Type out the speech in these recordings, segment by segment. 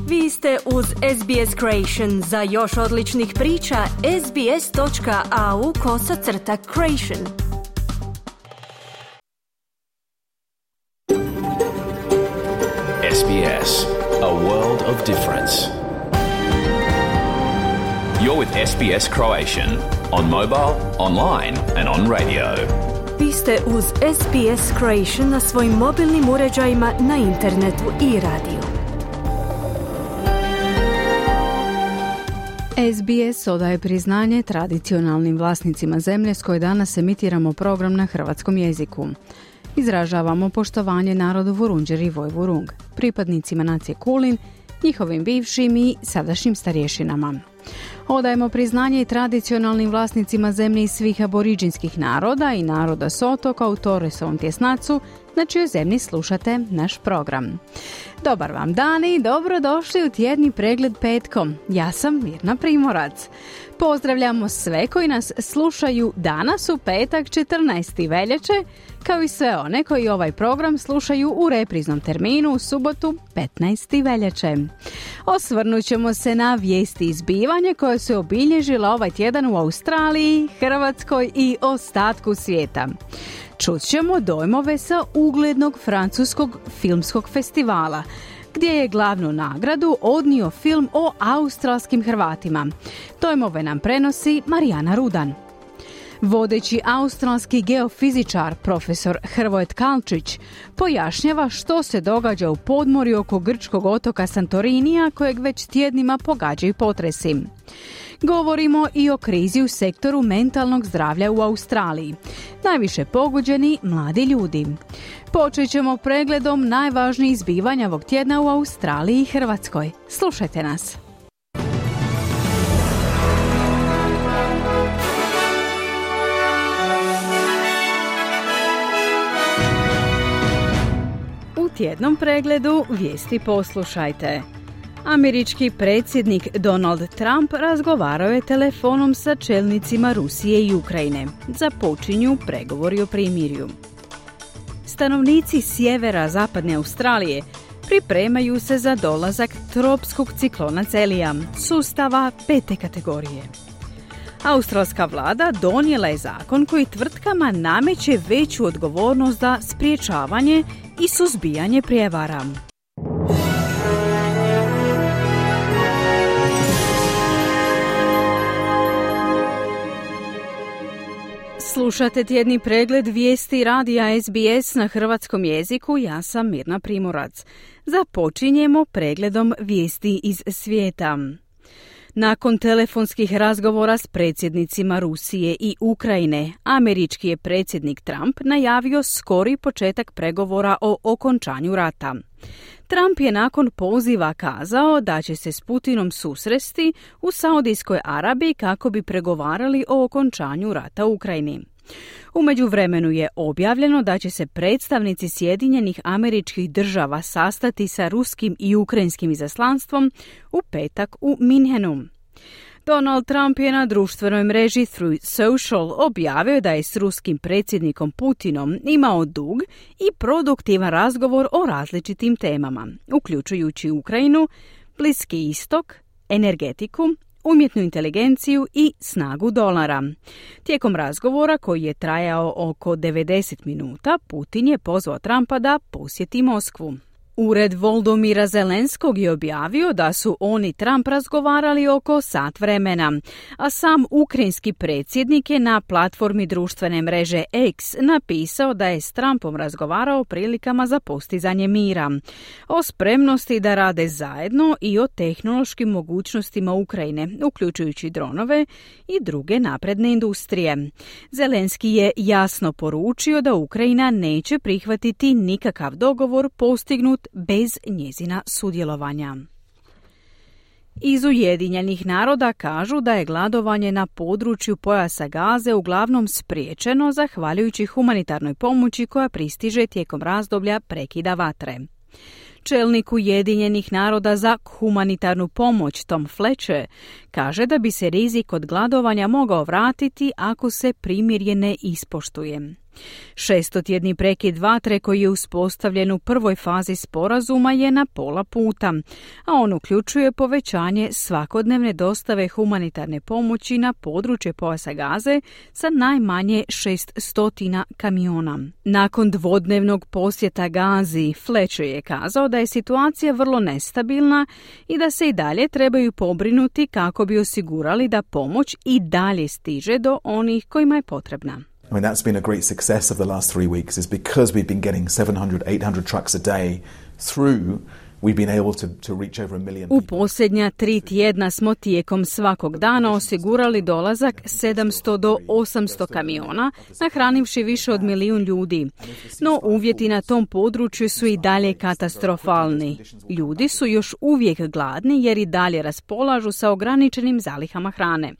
Vi ste uz SBS Creation. Za još odličnih priča, sbs.au/creation. SBS, a world of difference. You're with SBS Croatian on mobile, online and on radio. Vi ste uz SBS Creation na svojim mobilnim uređajima, na internetu i radiju. SBS odaje priznanje tradicionalnim vlasnicima zemlje s koje danas emitiramo program na hrvatskom jeziku. Izražavamo poštovanje narodu Vurundjer i Vojvurung, pripadnicima nacije Kulin, njihovim bivšim i sadašnjim starješinama. Odajemo priznanje i tradicionalnim vlasnicima zemlje iz svih aboriđinskih naroda i naroda s otoka u Torresovom tjesnacu, na čijoj zemlji slušate naš program. Dobar vam dan i dobrodošli u tjedni pregled petkom. Ja sam Mirna Primorac. Pozdravljamo sve koji nas slušaju danas u petak 14. veljače, kao i sve one koji ovaj program slušaju u repriznom terminu u subotu 15. veljače. Osvrnut ćemo se na vijesti i zbivanja koje su obilježila ovaj tjedan u Australiji, Hrvatskoj i ostatku svijeta. Čut ćemo dojmove sa uglednog francuskog filmskog festivala, gdje je glavnu nagradu odnio film o australskim Hrvatima. Dojmove nam prenosi Marijana Rudan. Vodeći australski geofizičar profesor Hrvoje Tkalčić pojašnjava što se događa u podmorju oko grčkog otoka Santorinija, kojeg već tjednima pogađaju potresi. Govorimo i o krizi u sektoru mentalnog zdravlja u Australiji. Najviše pogođeni mladi ljudi. Počet ćemo pregledom najvažnijih zbivanja ovog tjedna u Australiji i Hrvatskoj. Slušajte nas. U tjednom pregledu vijesti poslušajte. Američki predsjednik Donald Trump razgovarao je telefonom sa čelnicima Rusije i Ukrajine. Započinju pregovori o primirju. Stanovnici sjevera zapadne Australije pripremaju se za dolazak tropskog ciklona Celija, sustava 5. kategorije. Australska vlada donijela je zakon koji tvrtkama nameće veću odgovornost za sprječavanje i suzbijanje prijevara. Slušate tjedni pregled vijesti radija SBS na hrvatskom jeziku, ja sam Mirna Primorac. Započinjemo pregledom vijesti iz svijeta. Nakon telefonskih razgovora s predsjednicima Rusije i Ukrajine, američki je predsjednik Trump najavio skori početak pregovora o okončanju rata. Trump je nakon poziva kazao da će se s Putinom susresti u Saudijskoj Arabiji kako bi pregovarali o okončanju rata u Ukrajini. U međuvremenu je objavljeno da će se predstavnici Sjedinjenih Američkih Država sastati sa ruskim i ukrajinskim izaslanstvom u petak u Minhenu. Donald Trump je na društvenoj mreži Truth Social objavio da je s ruskim predsjednikom Putinom imao dug i produktivan razgovor o različitim temama, uključujući Ukrajinu, Bliski istok, energetiku, umjetnu inteligenciju i snagu dolara. Tijekom razgovora, koji je trajao oko 90 minuta, Putin je pozvao Trumpa da posjeti Moskvu. Ured Volodymyra Zelenskog je objavio da su on i Trump razgovarali oko sat vremena, a sam ukrajinski predsjednik je na platformi društvene mreže X napisao da je s Trumpom razgovarao o prilikama za postizanje mira, o spremnosti da rade zajedno i o tehnološkim mogućnostima Ukrajine, uključujući dronove i druge napredne industrije. Zelenski je jasno poručio da Ukrajina neće prihvatiti nikakav dogovor postignut bez njezina sudjelovanja. Iz Ujedinjenih naroda kažu da je gladovanje na području pojasa Gaze uglavnom spriječeno zahvaljujući humanitarnoj pomoći koja pristiže tijekom razdoblja prekida vatre. Čelnik Ujedinjenih naroda za humanitarnu pomoć Tom Fletcher kaže da bi se rizik od gladovanja mogao vratiti ako se primirje ne ispoštuje. Šestotjedni prekid vatre koji je uspostavljen u prvoj fazi sporazuma je na pola puta, a on uključuje povećanje svakodnevne dostave humanitarne pomoći na područje pojasa Gaze sa najmanje 600 kamiona. Nakon dvodnevnog posjeta Gazi, Fletcher je kazao da je situacija vrlo nestabilna i da se i dalje trebaju pobrinuti kako bi osigurali da pomoć i dalje stiže do onih kojima je potrebna. I mean, that's been a great success of the last 3 weeks is because we've been getting 700, 800 trucks a day through. We've been able to reach over 1 million U people. posljednja 3 tjedna smo tijekom svakog dana osigurali dolazak 700 do 800 kamiona, nahranivši više od 1 milijun ljudi. No uvjeti na tom području su i dalje katastrofalni. Ljudi su još uvijek gladni jer i dalje raspolažu sa ograničenim zalihama hrane.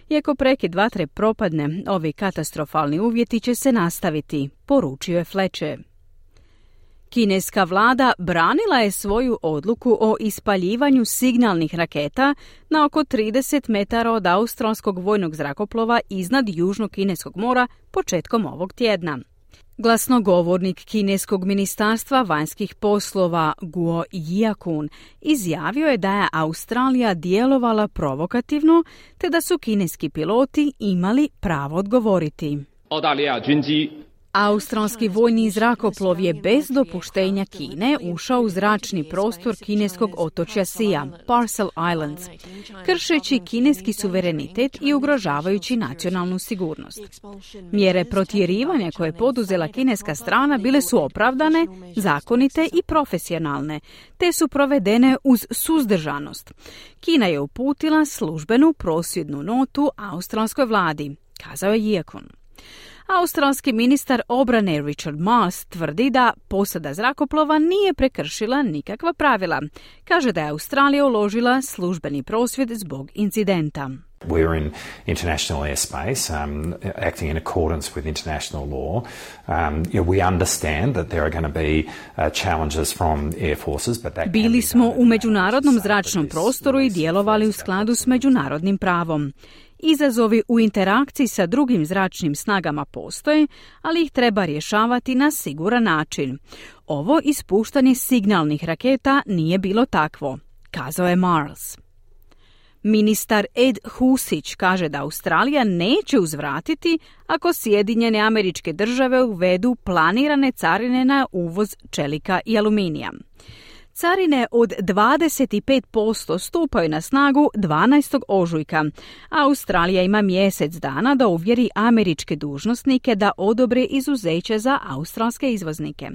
Iako prekid vatre propadne, ovi katastrofalni uvjeti će se nastaviti, poručio je Fletcher. Kineska vlada branila je svoju odluku o ispaljivanju signalnih raketa na oko 30 metara od australskog vojnog zrakoplova iznad Južnog Kineskog mora početkom ovog tjedna. Glasnogovornik kineskog ministarstva vanjskih poslova Guo Jiakun izjavio je da je Australija djelovala provokativno te da su kineski piloti imali pravo odgovoriti. Australski vojni zrakoplov je bez dopuštenja Kine ušao u zračni prostor kineskog otočja Sia, Parcel Islands, kršeći kineski suverenitet i ugrožavajući nacionalnu sigurnost. Mjere protjerivanja koje je poduzela kineska strana bile su opravdane, zakonite i profesionalne, te su provedene uz suzdržanost. Kina je uputila službenu prosvjednu notu australskoj vladi, kazao je Jiakun. Australski ministar obrane Richard Marles tvrdi da posada zrakoplova nije prekršila nikakva pravila. Kaže da je Australija uložila službeni prosvjed zbog incidenta. We're in international airspace, acting in accordance with international law. We understand that there are going to be challenges from air forces, but that Bili smo u međunarodnom zračnom prostoru i djelovali u skladu s međunarodnim pravom. Izazovi u interakciji sa drugim zračnim snagama postoje, ali ih treba rješavati na siguran način. Ovo ispuštanje signalnih raketa nije bilo takvo, kazao je Marles. Ministar Ed Husić kaže da Australija neće uzvratiti ako Sjedinjene Američke Države uvedu planirane carine na uvoz čelika i aluminija. Carine od 25% stupaju na snagu 12. ožujka, a Australija ima mjesec dana da uvjeri američke dužnosnike da odobre izuzeće za australske izvoznike.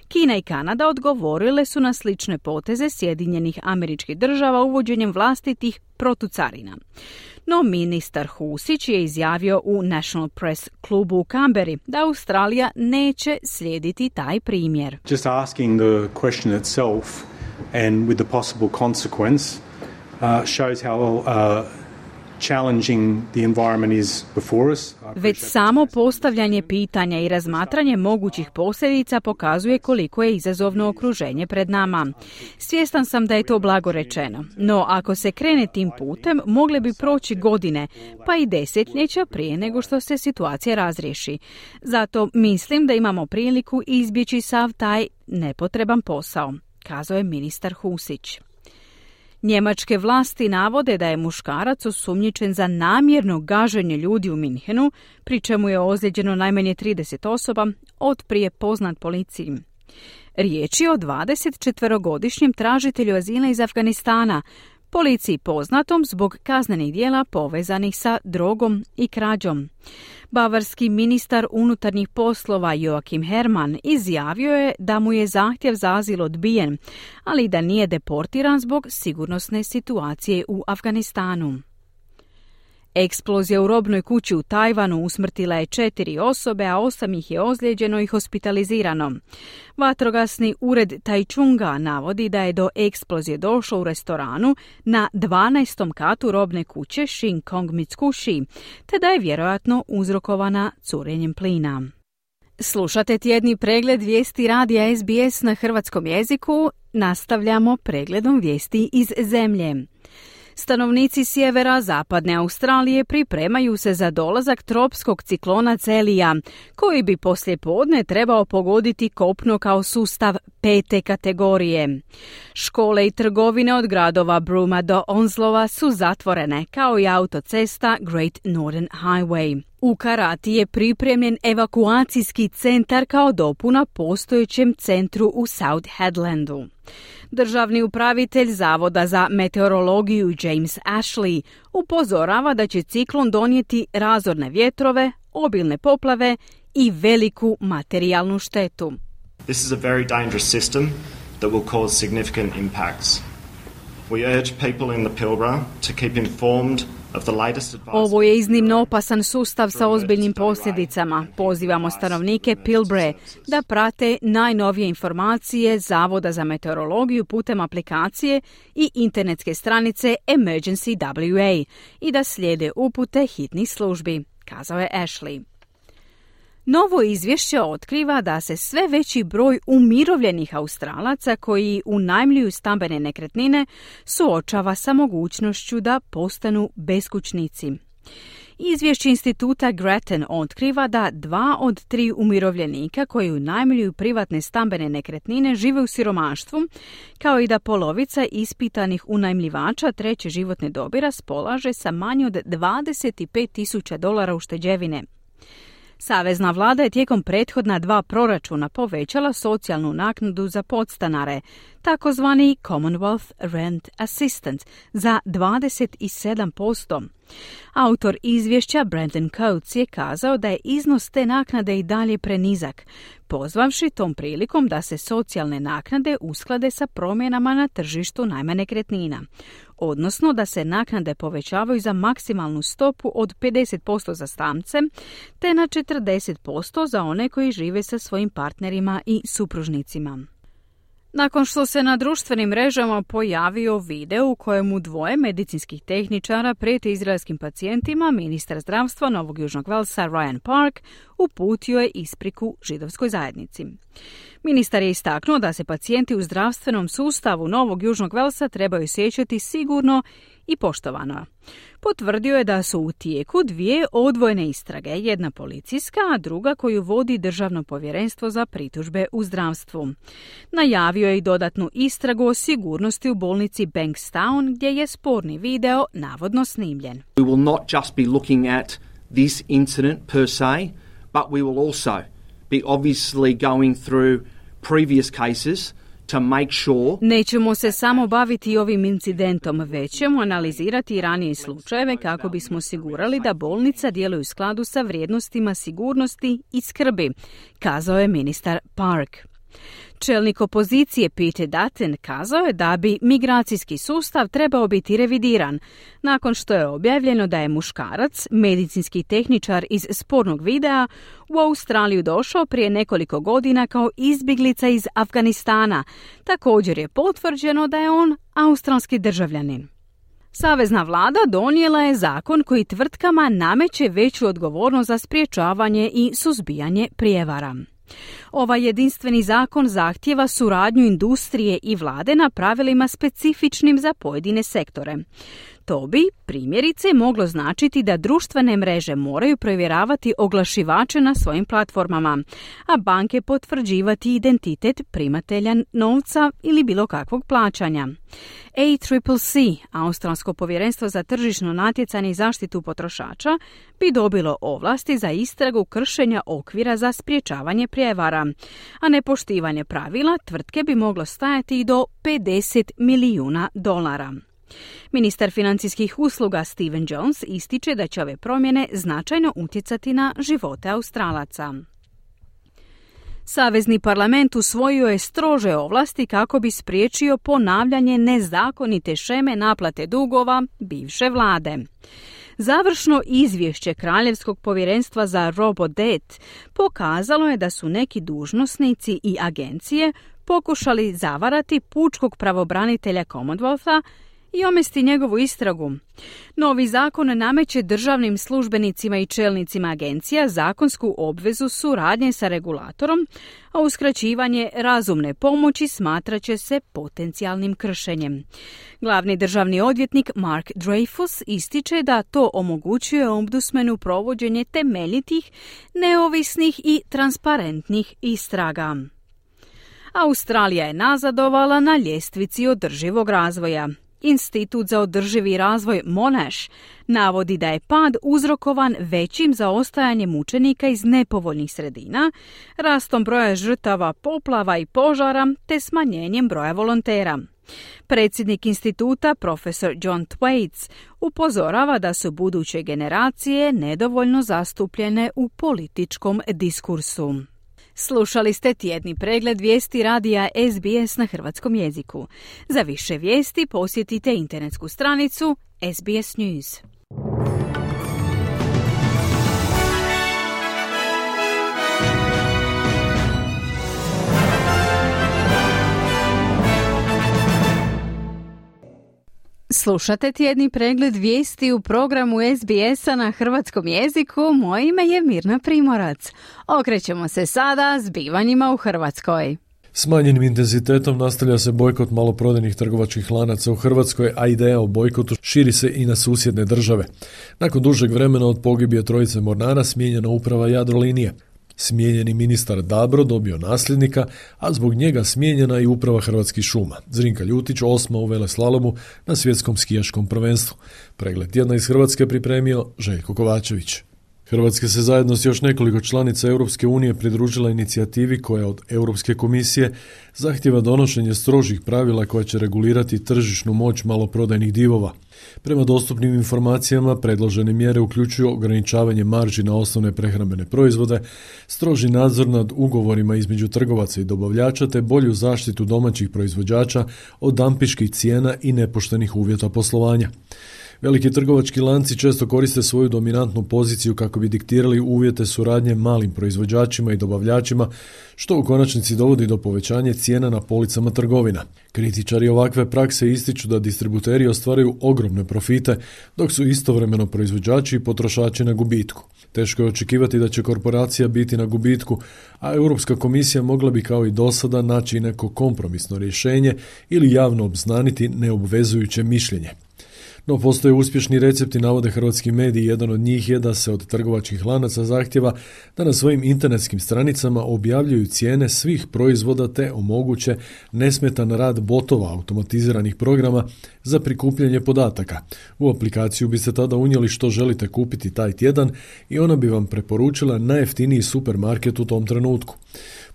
Kina i Kanada odgovorile su na slične poteze Sjedinjenih Američkih Država uvođenjem vlastitih protucarina. No ministar Husić je izjavio u National Press klubu u Canberri da Australija neće slijediti taj primjer. Just asking the question itself and with the possible consequence shows how challenging the environment is before us. Već samo postavljanje pitanja i razmatranje mogućih posljedica pokazuje koliko je izazovno okruženje pred nama. Svjestan sam da je to blago rečeno, no ako se krene tim putem, mogle bi proći godine, pa i desetljeća prije nego što se situacija razriješi. Zato mislim da imamo priliku izbjeći sav taj nepotreban posao, kazao je ministar Husić. Njemačke vlasti navode da je muškarac osumnjičen za namjerno gaženje ljudi u Minhenu, pri čemu je ozlijeđeno najmanje 30 osoba, otprije poznat policiji. Riječ je o 24-godišnjem tražitelju azila iz Afganistana, policiji poznatom zbog kaznenih djela povezanih sa drogom i krađom. Bavarski ministar unutarnjih poslova Joachim Herrmann izjavio je da mu je zahtjev za azil odbijen, ali da nije deportiran zbog sigurnosne situacije u Afganistanu. Eksplozija u robnoj kući u Tajvanu usmrtila je 4 osobe, a 8 ih je ozlijeđeno i hospitalizirano. Vatrogasni ured Taichunga navodi da je do eksplozije došlo u restoranu na 12. katu robne kuće Shin Kong Mitsukushi, te da je vjerojatno uzrokovana curenjem plina. Slušate tjedni pregled vijesti radija SBS na hrvatskom jeziku. Nastavljamo pregledom vijesti iz zemlje. Stanovnici sjevera zapadne Australije pripremaju se za dolazak tropskog ciklona Celija, koji bi poslijepodne trebao pogoditi kopno kao sustav 5. kategorije. Škole i trgovine od gradova Brooma do Onslova su zatvorene, kao i autocesta Great Northern Highway. U Karati je pripremljen evakuacijski centar kao dopuna postojećem centru u South Headlandu. Državni upravitelj Zavoda za meteorologiju James Ashley upozorava da će ciklon donijeti razorne vjetrove, obilne poplave i veliku materijalnu štetu. This is a very dangerous system that will cause significant impacts. We urge people in the Pilbara to keep informed. Ovo je iznimno opasan sustav sa ozbiljnim posljedicama. Pozivamo stanovnike Pilbare da prate najnovije informacije Zavoda za meteorologiju putem aplikacije i internetske stranice Emergency WA i da slijede upute hitnih službi, kazao je Ashley. Novo izvješće otkriva da se sve veći broj umirovljenih Australaca koji unajmljuju stambene nekretnine suočava sa mogućnošću da postanu beskućnici. Izvješće instituta Grattan otkriva da 2 od 3 umirovljenika koji unajmljuju privatne stambene nekretnine žive u siromaštvu, kao i da polovica ispitanih unajmljivača treće životne dobi raspolaže sa manje od $25,000 ušteđevine. Savezna vlada je tijekom prethodna 2 proračuna povećala socijalnu naknadu za podstanare, takozvani Commonwealth Rent Assistance, za 27%. Autor izvješća Brandon Coates je kazao da je iznos te naknade i dalje prenizak, pozvavši tom prilikom da se socijalne naknade usklade sa promjenama na tržištu najma nekretnina, odnosno da se naknade povećavaju za maksimalnu stopu od 50% za samce, te na 40% za one koji žive sa svojim partnerima i supružnicima. Nakon što se na društvenim mrežama pojavio video u kojemu 2 medicinskih tehničara prijete izraelskim pacijentima, ministar zdravstva Novog Južnog Velsa Ryan Park uputio je ispriku židovskoj zajednici. Ministar je istaknuo da se pacijenti u zdravstvenom sustavu Novog Južnog Velsa trebaju osjećati sigurno i poštovano. Potvrdio je da su u tijeku 2 odvojene istrage, jedna policijska, a druga koju vodi Državno povjerenstvo za pritužbe u zdravstvu. Najavio je i dodatnu istragu o sigurnosti u bolnici Bankstown, gdje je sporni video navodno snimljen. We will not just be looking at this incident per se, but we will also be obviously going through previous cases to make sure. Nećemo se samo baviti ovim incidentom, već ćemo analizirati i ranije slučajeve kako bismo osigurali da bolnica djeluje u skladu sa vrijednostima sigurnosti i skrbi, kazao je ministar Park. Čelnik opozicije Peter Dutton kazao je da bi migracijski sustav trebao biti revidiran, nakon što je objavljeno da je muškarac, medicinski tehničar iz spornog videa, u Australiju došao prije nekoliko godina kao izbjeglica iz Afganistana. Također je potvrđeno da je on australski državljanin. Savezna vlada donijela je zakon koji tvrtkama nameće veću odgovornost za sprječavanje i suzbijanje prijevara. Ovaj jedinstveni zakon zahtijeva suradnju industrije i vlade na pravilima specifičnim za pojedine sektore. To bi, primjerice, moglo značiti da društvene mreže moraju provjeravati oglašivače na svojim platformama, a banke potvrđivati identitet primatelja novca ili bilo kakvog plaćanja. ACCC, Australsko povjerenstvo za tržišno natjecanje i zaštitu potrošača, bi dobilo ovlasti za istragu kršenja okvira za sprječavanje prijevara, a nepoštivanje pravila tvrtke bi moglo stajati i do $50 milijuna. Ministar financijskih usluga Stephen Jones ističe da će ove promjene značajno utjecati na živote Australaca. Savezni parlament usvojio je strože ovlasti kako bi spriječio ponavljanje nezakonite sheme naplate dugova bivše vlade. Završno izvješće Kraljevskog povjerenstva za Robodebt pokazalo je da su neki dužnosnici i agencije pokušali zavarati pučkog pravobranitelja Commonwealtha i omesti njegovu istragu. Novi zakon nameće državnim službenicima i čelnicima agencija zakonsku obvezu suradnje sa regulatorom, a uskraćivanje razumne pomoći smatrat će se potencijalnim kršenjem. Glavni državni odvjetnik Mark Dreyfus ističe da to omogućuje ombudsmanu provođenje temeljitih, neovisnih i transparentnih istraga. Australija je nazadovala na ljestvici održivog razvoja. Institut za održivi razvoj Monash navodi da je pad uzrokovan većim zaostajanjem učenika iz nepovoljnih sredina, rastom broja žrtava poplava i požara te smanjenjem broja volontera. Predsjednik instituta, profesor John Thwaites, upozorava da su buduće generacije nedovoljno zastupljene u političkom diskursu. Slušali ste tjedni pregled vijesti radija SBS na hrvatskom jeziku. Za više vijesti posjetite internetsku stranicu SBS News. Slušate tjedni pregled vijesti u programu SBS-a na hrvatskom jeziku. Moje ime je Mirna Primorac. Okrećemo se sada zbivanjima u Hrvatskoj. Smanjenim intenzitetom nastavlja se bojkot maloprodajnih trgovačkih lanaca u Hrvatskoj, a ideja o bojkotu širi se i na susjedne države. Nakon dužeg vremena od pogibije trojice mornara smijenjena uprava Jadrolinije. Smijenjeni ministar Dabro dobio nasljednika, a zbog njega smijenjena i uprava Hrvatskih šuma. Zrinka Ljutić 8. u veleslalomu na svjetskom skijaškom prvenstvu. Pregled tjedna iz Hrvatske pripremio Željko Kovačević. Hrvatska se zajedno s još nekoliko članica Europske unije pridružila inicijativi koja od Europske komisije zahtjeva donošenje strožih pravila koja će regulirati tržišnu moć maloprodajnih divova. Prema dostupnim informacijama, predložene mjere uključuju ograničavanje marži na osnovne prehrambene proizvode, stroži nadzor nad ugovorima između trgovaca i dobavljača te bolju zaštitu domaćih proizvođača od dampiških cijena i nepoštenih uvjeta poslovanja. Veliki trgovački lanci često koriste svoju dominantnu poziciju kako bi diktirali uvjete suradnje malim proizvođačima i dobavljačima, što u konačnici dovodi do povećanja cijena na policama trgovina. Kritičari ovakve prakse ističu da distributeri ostvaruju ogromne profite, dok su istovremeno proizvođači i potrošači na gubitku. Teško je očekivati da će korporacija biti na gubitku, a Europska komisija mogla bi kao i dosada naći neko kompromisno rješenje ili javno obznaniti neobvezujuće mišljenje. No postoje uspješni recepti, navode hrvatski mediji. Jedan od njih je da se od trgovačkih lanaca zahtjeva da na svojim internetskim stranicama objavljuju cijene svih proizvoda te omoguće nesmetan rad botova automatiziranih programa za prikupljanje podataka. U aplikaciju biste tada unijeli što želite kupiti taj tjedan i ona bi vam preporučila najjeftiniji supermarket u tom trenutku.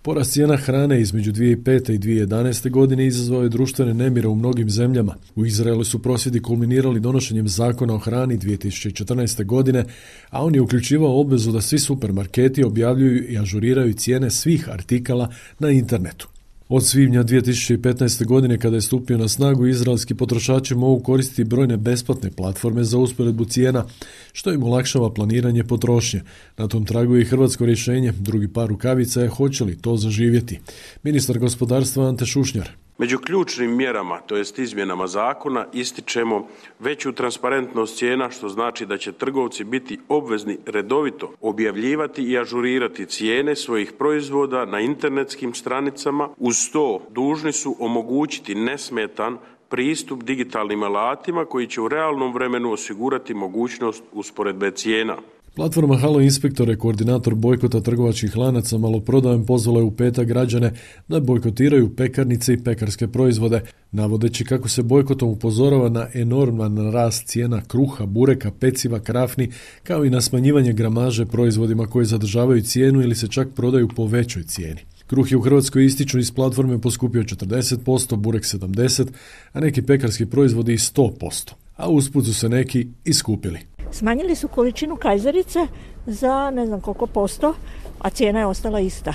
Porast cijena hrane između 2005. i 2011. godine izazvao je društvene nemire u mnogim zemljama. U Izraelu su prosvjedi kulminirali donošenjem zakona o hrani 2014. godine, a on je uključivao obvezu da svi supermarketi objavljuju i ažuriraju cijene svih artikala na internetu. Od svibnja 2015. godine, kada je stupio na snagu, izraelski potrošači mogu koristiti brojne besplatne platforme za usporedbu cijena, što im olakšava planiranje potrošnje. Na tom tragu je i hrvatsko rješenje. Drugi par rukavica je hoće li to zaživjeti. Ministar gospodarstva Ante Šušnjar. Među ključnim mjerama, to jest izmjenama zakona, ističemo veću transparentnost cijena, što znači da će trgovci biti obvezni redovito objavljivati i ažurirati cijene svojih proizvoda na internetskim stranicama. Uz to dužni su omogućiti nesmetan pristup digitalnim alatima koji će u realnom vremenu osigurati mogućnost usporedbe cijena. Platforma Halo Inspektore, koordinator bojkota trgovačkih lanaca maloprodajom, pozvala je u petak građane da bojkotiraju pekarnice i pekarske proizvode, navodeći kako se bojkotom upozorava na enorman rast cijena kruha, bureka, peciva, krafni, kao i na smanjivanje gramaže proizvodima koji zadržavaju cijenu ili se čak prodaju po većoj cijeni. Kruh je u Hrvatskoj, ističu iz platforme, poskupio 40%, burek 70%, a neki pekarski proizvodi i 100%, a usput su se neki iskupili. Smanjili su količinu kajzerice za ne znam koliko posto, a cijena je ostala ista.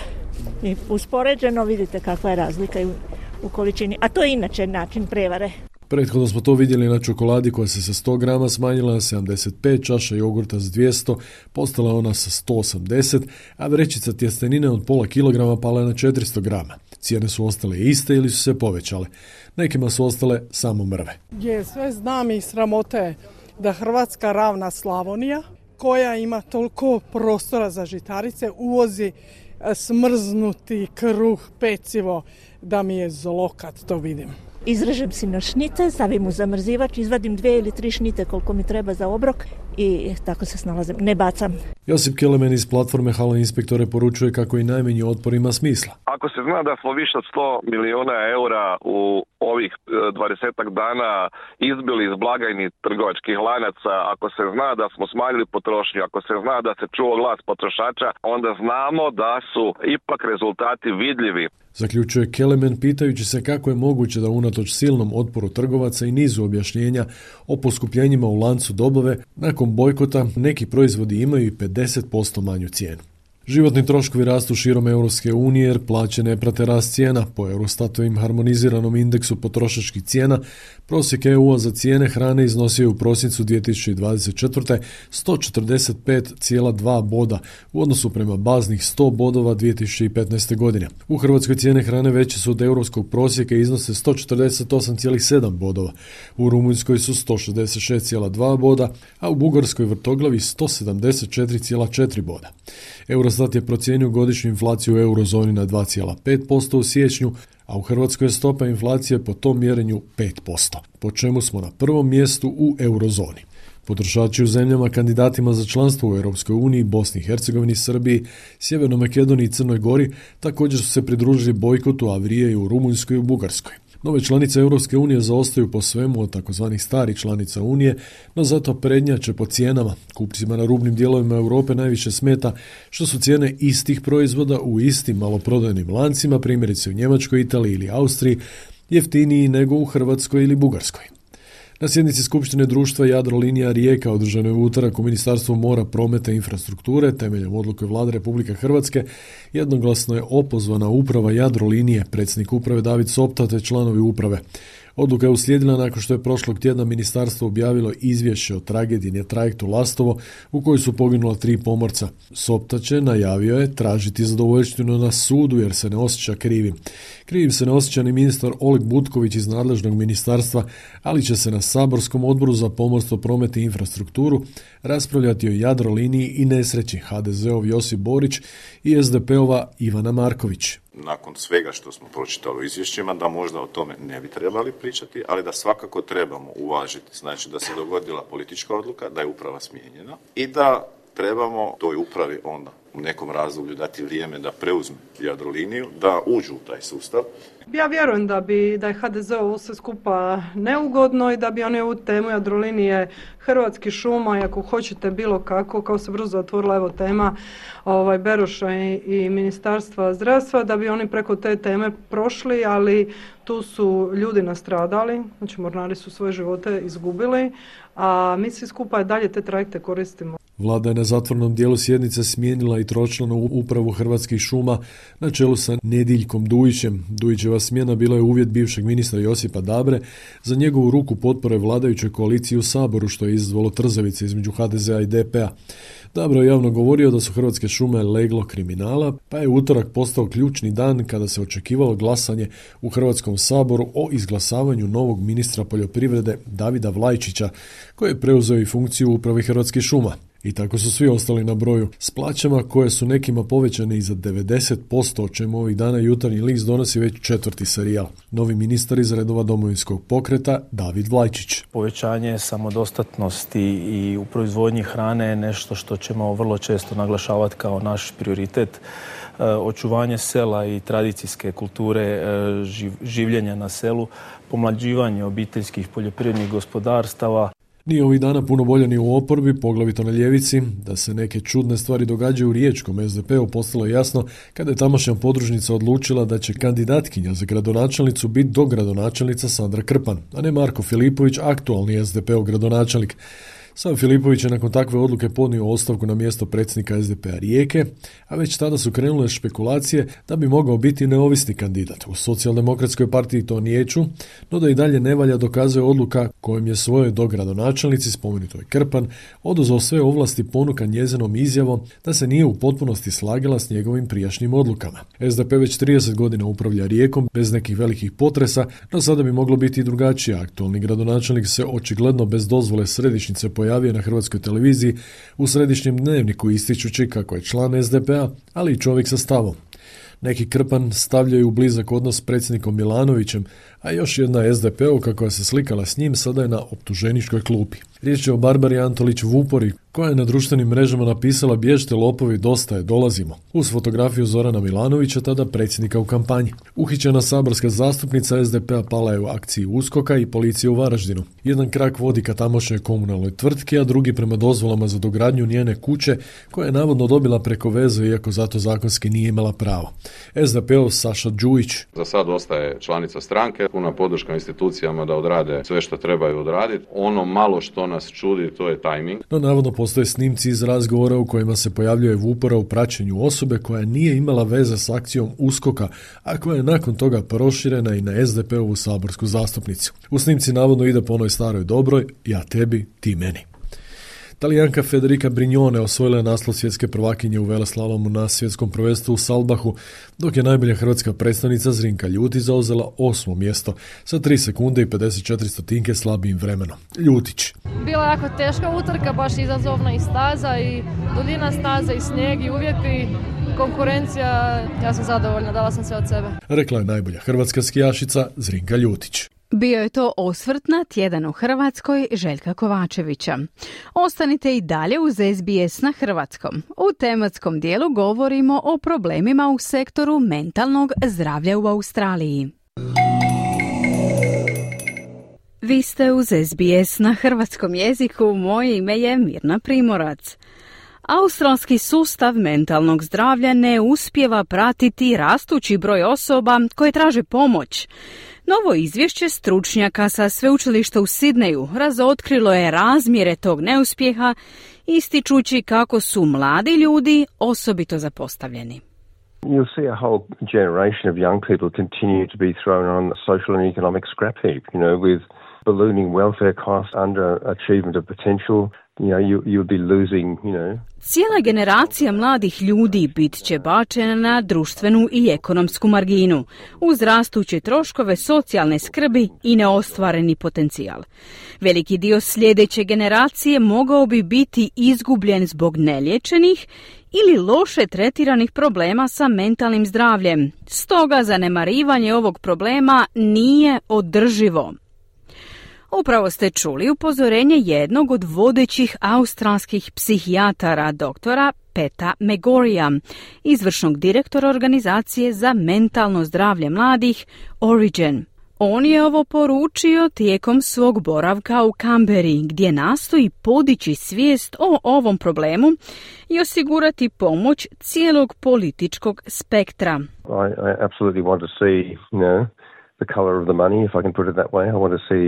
I uspoređeno vidite kakva je razlika u količini, a to je inače način prevare. Prethodno smo to vidjeli na čokoladi koja se sa 100 grama smanjila na 75, čaša jogurta s 200, postala ona sa 180, a vrećica tjestenine od pola kilograma pala je na 400 grama. Cijene su ostale iste ili su se povećale. Nekima su ostale samo mrve. Je, sve znam i sramote da Hrvatska ravna Slavonija, koja ima toliko prostora za žitarice, uvozi smrznuti kruh, pecivo, da mi je zlo kad to vidim. Izrežem si na šnite, stavim u zamrzivač, izvadim 2 ili 3 šnite koliko mi treba za obrok i tako se snalazim, ne bacam. Josip Kelemen iz platforme Halo Inspektore poručuje kako i najmanji otpor ima smisla. Ako se zna da smo više od 100 milijuna eura u ovih 20 dana izbili iz blagajni trgovačkih lanaca, ako se zna da smo smanjili potrošnju, ako se zna da se čuo glas potrošača, onda znamo da su ipak rezultati vidljivi. Zaključuje Kelemen pitajući se kako je moguće da unatoč silnom otporu trgovaca i nizu objašnjenja o poskupljenjima u lancu dobave, nakon bojkota neki proizvodi imaju i 50% manju cijenu. Životni troškovi rastu širom Europske unije jer plaće ne prate rast cijena. Po Eurostatovim harmoniziranom indeksu potrošačkih cijena, prosjek EU za cijene hrane iznosio je u prosincu 2024. 145,2 boda u odnosu prema baznih 100 bodova 2015. godine. U Hrvatskoj cijene hrane veće su od europskog prosjeka i iznose 148,7 bodova. U Rumunjskoj su 166,2 boda, a u Bugarskoj vrtoglavi 174,4 boda. Eurostat je procijenio godišnju inflaciju u eurozoni na 2,5% u siječnju, a u Hrvatskoj je stopa inflacije po tom mjerenju 5%, po čemu smo na prvom mjestu u eurozoni. Potrošači u zemljama kandidatima za članstvo u Europskoj uniji, Bosni i Hercegovini, Srbiji, Sjevernoj Makedoniji i Crnoj Gori također su se pridružili bojkotu, a vrijedi u Rumunjskoj i u Bugarskoj. Nove članice Europske unije zaostaju po svemu od takozvanih starih članica Unije, no zato prednjače po cijenama. Kupcima na rubnim dijelovima Europe najviše smeta što su cijene istih proizvoda u istim maloprodajnim lancima, primjerice u Njemačkoj, Italiji ili Austriji, jeftiniji nego u Hrvatskoj ili Bugarskoj. Na sjednici Skupštine društva Jadrolinija Rijeka održanoj u utorak u Ministarstvu mora, prometa i infrastrukture temeljem odluke Vlade Republike Hrvatske jednoglasno je opozvana uprava Jadrolinije, predsjednik uprave David Sopta te članovi uprave. Odluka je uslijedila nakon što je prošlog tjedna ministarstvo objavilo izvješće o tragediji na trajektu Lastovo u kojoj su poginula 3 pomorca. Soptače najavio je tražiti zadovoljštinu na sudu jer se ne osjeća krivim. Krivim se ne osjeća ni ministar Oleg Butković iz nadležnog ministarstva, ali će se na saborskom odboru za pomorstvo, promet i infrastrukturu raspravljati o Jadroliniji i nesreći HDZ-ov Josip Borić i SDP-ova Ivana Marković. Nakon svega što smo pročitali u izvješćima, da možda o tome ne bi trebali pričati, ali da svakako trebamo uvažiti, znači da se dogodila politička odluka, da je uprava smijenjena i da trebamo toj upravi onda u nekom razdoblju dati vrijeme da preuzme Jadroliniju, da uđu u taj sustav. Ja vjerujem da je HDZ ovo sve skupa neugodno i da bi oni ovu temu Jadrolinije, Hrvatskih šuma i ako hoćete bilo kako, kao se brzo otvorila evo tema Beroša i Ministarstva zdravstva, da bi oni preko te teme prošli, ali tu su ljudi nastradali, znači mornari su svoje živote izgubili, a mi svi skupa dalje te trajekte koristimo. Vlada je na zatvornom dijelu sjednice smijenila i tročlanu upravu Hrvatskih šuma na čelu sa Nediljkom Dujićem. Dujićeva smjena bila je uvjet bivšeg ministra Josipa Dabre za njegovu ruku potpore vladajućoj koaliciji u Saboru, što je izazvalo trzavice između HDZ-a i DP-a. Dabro je javno govorio da su Hrvatske šume leglo kriminala, pa je utorak postao ključni dan kada se očekivalo glasanje u Hrvatskom saboru o izglasavanju novog ministra poljoprivrede Davida Vlajčića, koji je preuzeo i funkciju uprave Hrvatskih šuma. I tako su svi ostali na broju s plaćama koje su nekima povećane i za 90%, o čemu ovih dana Jutarnji list donosi već 4. serijal. Novi ministar iz redova Domovinskog pokreta David Vlajčić. Povećanje samodostatnosti i u proizvodnji hrane je nešto što ćemo vrlo često naglašavati kao naš prioritet. Očuvanje sela i tradicijske kulture življenja na selu, pomlađivanje obiteljskih poljoprivrednih gospodarstava. Nije ovih dana puno bolje ni u oporbi, poglavito na ljevici. Da se neke čudne stvari događaju u riječkom SDP-u postalo je jasno kada je tamošnja podružnica odlučila da će kandidatkinja za gradonačelnicu biti dogradonačelnica Sandra Krpan, a ne Marko Filipović, aktualni SDP-ov gradonačelnik. Sam Filipović je nakon takve odluke podnio ostavku na mjesto predsjednika SDP-a Rijeke, a već tada su krenule špekulacije da bi mogao biti neovisni kandidat. U Socijaldemokratskoj partiji to niječu, no da i dalje ne valja dokazuje odluka kojom je svojoj dogradonačelnici, spomenutoj Krpan, oduzeo sve ovlasti ponukan njezinom izjavom da se nije u potpunosti slagala s njegovim prijašnjim odlukama. SDP već 30 godina upravlja Rijekom bez nekih velikih potresa, no sada bi moglo biti i drugačije. Aktualni gradonačelnik se očigledno bez dozvole središnjice pojavio na hrvatskoj televiziji u središnjem dnevniku ističući kako je član SDP-a, ali i čovjek sa stavom. Neki Krpan stavljaju u blizak odnos s predsjednikom Milanovićem, a još jedna SDP-ovka koja se slikala s njim sada je na optuženičkoj klupi. Riječ je o Barbari Antolić Vupori, koja je na društvenim mrežama napisala bježte lopovi, dosta je, dolazimo, uz fotografiju Zorana Milanovića, tada predsjednika u kampanji. Uhićena saborska zastupnica SDP-a pala je u akciji USKOK-a i policije u Varaždinu. Jedan krak vodi ka tamošnjoj komunalnoj tvrtki, a drugi prema dozvolama za dogradnju njene kuće, koja je navodno dobila preko veze, iako zato zakonski nije imala pravo. SDP-ov Saša Đujić. Za sad ostaje članica stranke, puna podrška institucijama da odrade sve što trebaju odraditi. Ono malo što nas čudi, to je tajming. No navodno postoje snimci iz razgovora u kojima se pojavljuje Vupora u praćenju osobe koja nije imala veze s akcijom USKOK-a, a koja je nakon toga proširena i na SDP-ovu saborsku zastupnicu. U snimci navodno ide po onoj staroj dobroj, ja tebi, ti meni. Talijanka Federica Brignone osvojila je naslov svjetske prvakinje u veleslalomu na svjetskom prvenstvu u Salbahu, dok je najbolja hrvatska predstavnica Zrinka Ljutić zauzela 8. mjesto sa 3 sekunde i 54 stotinke slabijim vremenom. Ljutić. Bila je jako teška utrka, baš izazovna i staza i duljina staza i snijeg i uvjeti. Konkurencija, ja sam zadovoljna, dala sam sve od sebe. Rekla je najbolja hrvatska skijašica Zrinka Ljutić. Bio je to osvrt na Tjedan u Hrvatskoj Željka Kovačevića. Ostanite i dalje uz SBS na hrvatskom. U tematskom dijelu govorimo o problemima u sektoru mentalnog zdravlja u Australiji. Vi ste uz SBS na hrvatskom jeziku, moje ime je Mirna Primorac. Australski sustav mentalnog zdravlja ne uspijeva pratiti rastući broj osoba koje traže pomoć. Novo izvješće stručnjaka sa sveučilišta u Sidneju razotkrilo je razmjere tog neuspjeha, ističući kako su mladi ljudi osobito zapostavljeni. You'll see a whole generation of young people continue to be thrown on the social and economic scrap heap, with ballooning welfare costs, underachievement of potential. You'll be losing, Cijela generacija mladih ljudi bit će bačena na društvenu i ekonomsku marginu, uz rastuće troškove socijalne skrbi i neostvareni potencijal. Veliki dio sljedeće generacije mogao bi biti izgubljen zbog neliječenih ili loše tretiranih problema sa mentalnim zdravljem. Stoga zanemarivanje ovog problema nije održivo. Upravo ste čuli upozorenje jednog od vodećih australskih psihijatara, doktora Peta Megorija, izvršnog direktora organizacije za mentalno zdravlje mladih Origin. On je ovo poručio tijekom svog boravka u Kamberi, gdje nastoji podići svijest o ovom problemu i osigurati pomoć cijelog političkog spektra. I absolutely want to see, the colour of the money, if I can put it that way. I want to see,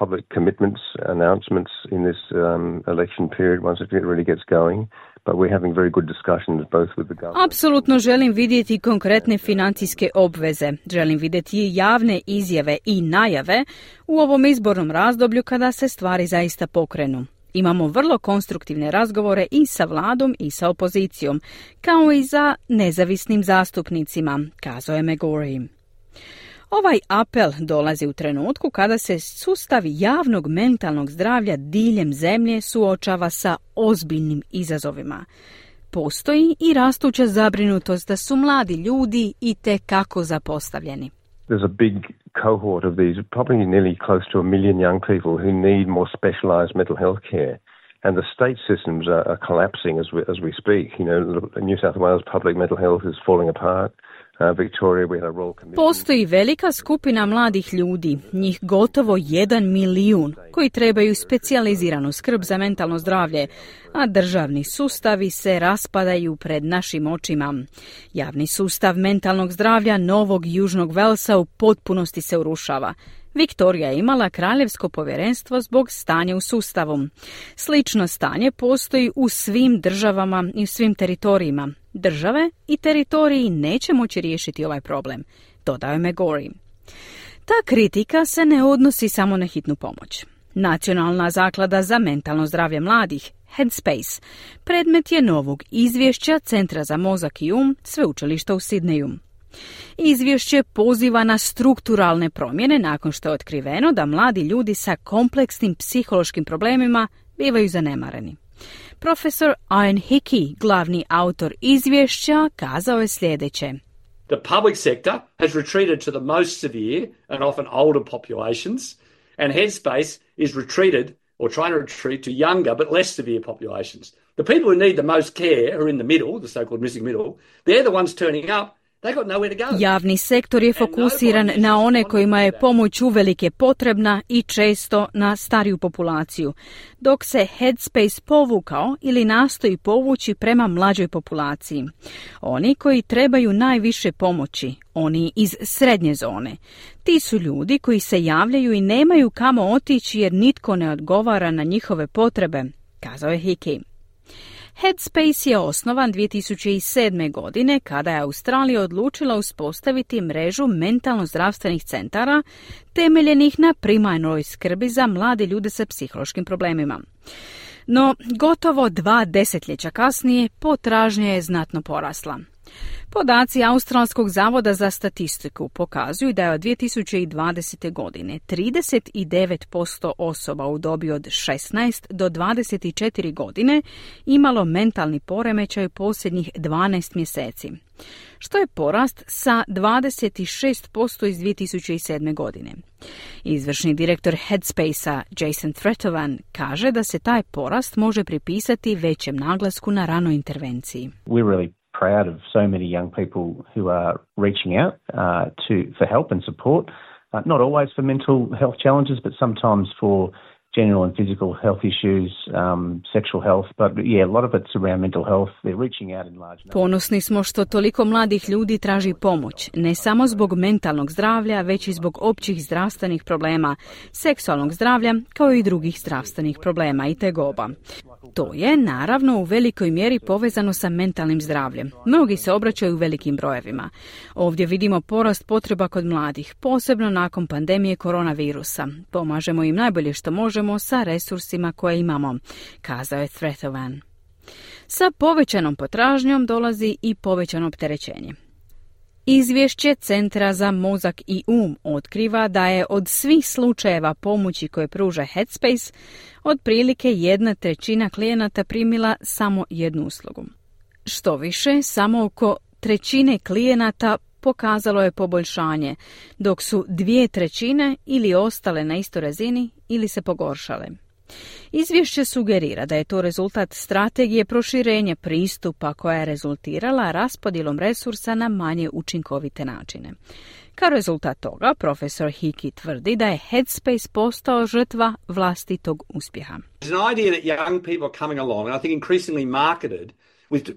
public commitments, announcements in this election period once it really gets going. But we're having very good discussions both with the government. Apsolutno želim vidjeti konkretne financijske obveze. Želim vidjeti javne izjave i najave u ovom izbornom razdoblju kada se stvari zaista pokrenu. Imamo vrlo konstruktivne razgovore i sa vladom i sa opozicijom, kao i za nezavisnim zastupnicima, kazao je Megori. Ovaj apel dolazi u trenutku kada se sustav javnog mentalnog zdravlja diljem zemlje suočava sa ozbiljnim izazovima. Postoji i rastuća zabrinutost da su mladi ljudi itekako zapostavljeni. There's a big cohort of these, probably nearly close to 1 million young people who need more specialised mental health care. And the state systems are collapsing as we speak. New South Wales public mental health is falling apart. Victoria, we had a Royal Commission. Postoji velika skupina mladih ljudi, njih gotovo 1 milijun, koji trebaju specijaliziranu skrb za mentalno zdravlje, a državni sustavi se raspadaju pred našim očima. Javni sustav mentalnog zdravlja Novog Južnog Velsa u potpunosti se urušava. Viktorija je imala kraljevsko povjerenstvo zbog stanja u sustavu. Slično stanje postoji u svim državama i u svim teritorijima. Države i teritoriji neće moći riješiti ovaj problem, dodao je McGorry. Ta kritika se ne odnosi samo na hitnu pomoć. Nacionalna zaklada za mentalno zdravlje mladih, Headspace, predmet je novog izvješća Centra za mozak i sveučilišta u Sidneju. Izvješće poziva na strukturalne promjene nakon što je otkriveno da mladi ljudi sa kompleksnim psihološkim problemima bivaju zanemareni. Profesor Ian Hickey, glavni autor izvješća, kazao je sljedeće. The public sector has retreated to the most severe and often older populations, and Headspace is retreated or trying to retreat to younger but less severe populations. The people who need the most care are in the middle, the so-called missing middle. They're the ones turning up. Javni sektor je fokusiran na one kojima je pomoć uvelike potrebna i često na stariju populaciju, dok se Headspace povukao ili nastoji povući prema mlađoj populaciji. Oni koji trebaju najviše pomoći, oni iz srednje zone. Ti su ljudi koji se javljaju i nemaju kamo otići jer nitko ne odgovara na njihove potrebe, kazao je Hickey. Headspace je osnovan 2007. godine kada je Australija odlučila uspostaviti mrežu mentalno zdravstvenih centara temeljenih na primarnoj skrbi za mlade ljude sa psihološkim problemima. No, gotovo 2 desetljeća kasnije potražnja je znatno porasla. Podaci Australskog zavoda za statistiku pokazuju da je od 2020. godine 39% osoba u dobi od 16 do 24 godine imalo mentalni poremećaj u posljednjih 12 mjeseci, što je porast sa 26% iz 2007. godine. Izvršni direktor Headspace-a Jason Tretovan kaže da se taj porast može pripisati većem naglasku na ranoj intervenciji. We're really proud of so many young people who are reaching out for help and support, not always for mental health challenges, but sometimes for general and physical health issues, sexual health, but yeah, a lot of it's around mental health. They're reaching out in large numbers. Ponosni smo što toliko mladih ljudi traži pomoć, ne samo zbog mentalnog zdravlja, već i zbog općih zdravstvenih problema, seksualnog zdravlja, kao i drugih zdravstvenih problema i tegoba. To je, naravno, u velikoj mjeri povezano sa mentalnim zdravljem. Mnogi se obraćaju velikim brojevima. Ovdje vidimo porast potreba kod mladih, posebno nakon pandemije koronavirusa. Pomažemo im najbolje što možemo sa resursima koje imamo, kazao je Tretovan. Sa povećanom potražnjom dolazi i povećano opterećenje. Izvješće Centra za mozak i otkriva da je od svih slučajeva pomoći koje pruža Headspace, otprilike 1/3 klijenata primila samo jednu uslugu. Što više, samo oko 1/3 klijenata pokazalo je poboljšanje, dok su 2/3 ili ostale na istoj razini ili se pogoršale. Izvješće sugerira da je to rezultat strategije proširenja pristupa koja je rezultirala raspodjelom resursa na manje učinkovite načine. Kao rezultat toga, profesor Hickey tvrdi da je Headspace postao žrtva vlastitog uspjeha. There's an idea that young people are coming along, and I think increasingly marketed,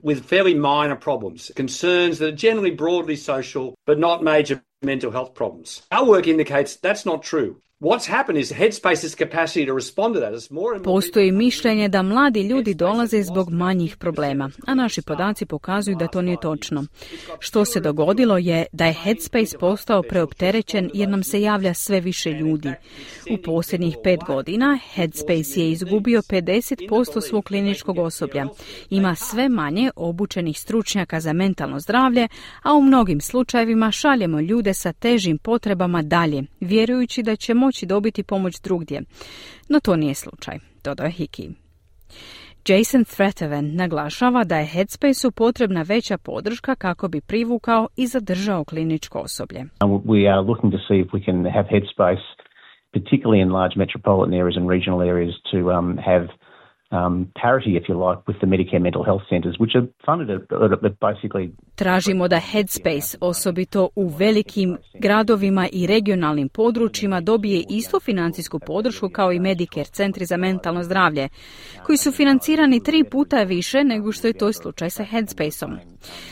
with fairly minor problems, concerns that are generally broadly social, but not major mental health problems. Our work indicates that's not true. What's happened is Headspace's capacity to respond to that is more and more. Postoji mišljenje da mladi ljudi dolaze zbog manjih problema, a naši podaci pokazuju da to nije točno. Što se dogodilo je da je Headspace postao preopterećen jer nam se javlja sve više ljudi. U posljednjih 5 godina Headspace je izgubio 50% svog kliničkog osoblja. Ima sve manje obučenih stručnjaka za mentalno zdravlje, a u mnogim slučajevima šaljemo ljude sa težim potrebama dalje, vjerujući da će moći dobiti pomoć drugdje. No to nije slučaj, dodao je Hickey. Jason Tretovan naglašava da je Headspace-u potrebna veća podrška kako bi privukao i zadržao kliničko osoblje. We are looking to see if we can have Headspace, particularly in large metropolitan areas and regional areas, to have parity, if you like, with the Medicare mental health centres, which are funded at basically... Tražimo da Headspace, osobito u velikim gradovima i regionalnim područjima, dobije istu financijsku podršku kao i Medicare centri za mentalno zdravlje, koji su financirani 3 puta više nego što je to slučaj sa Headspaceom.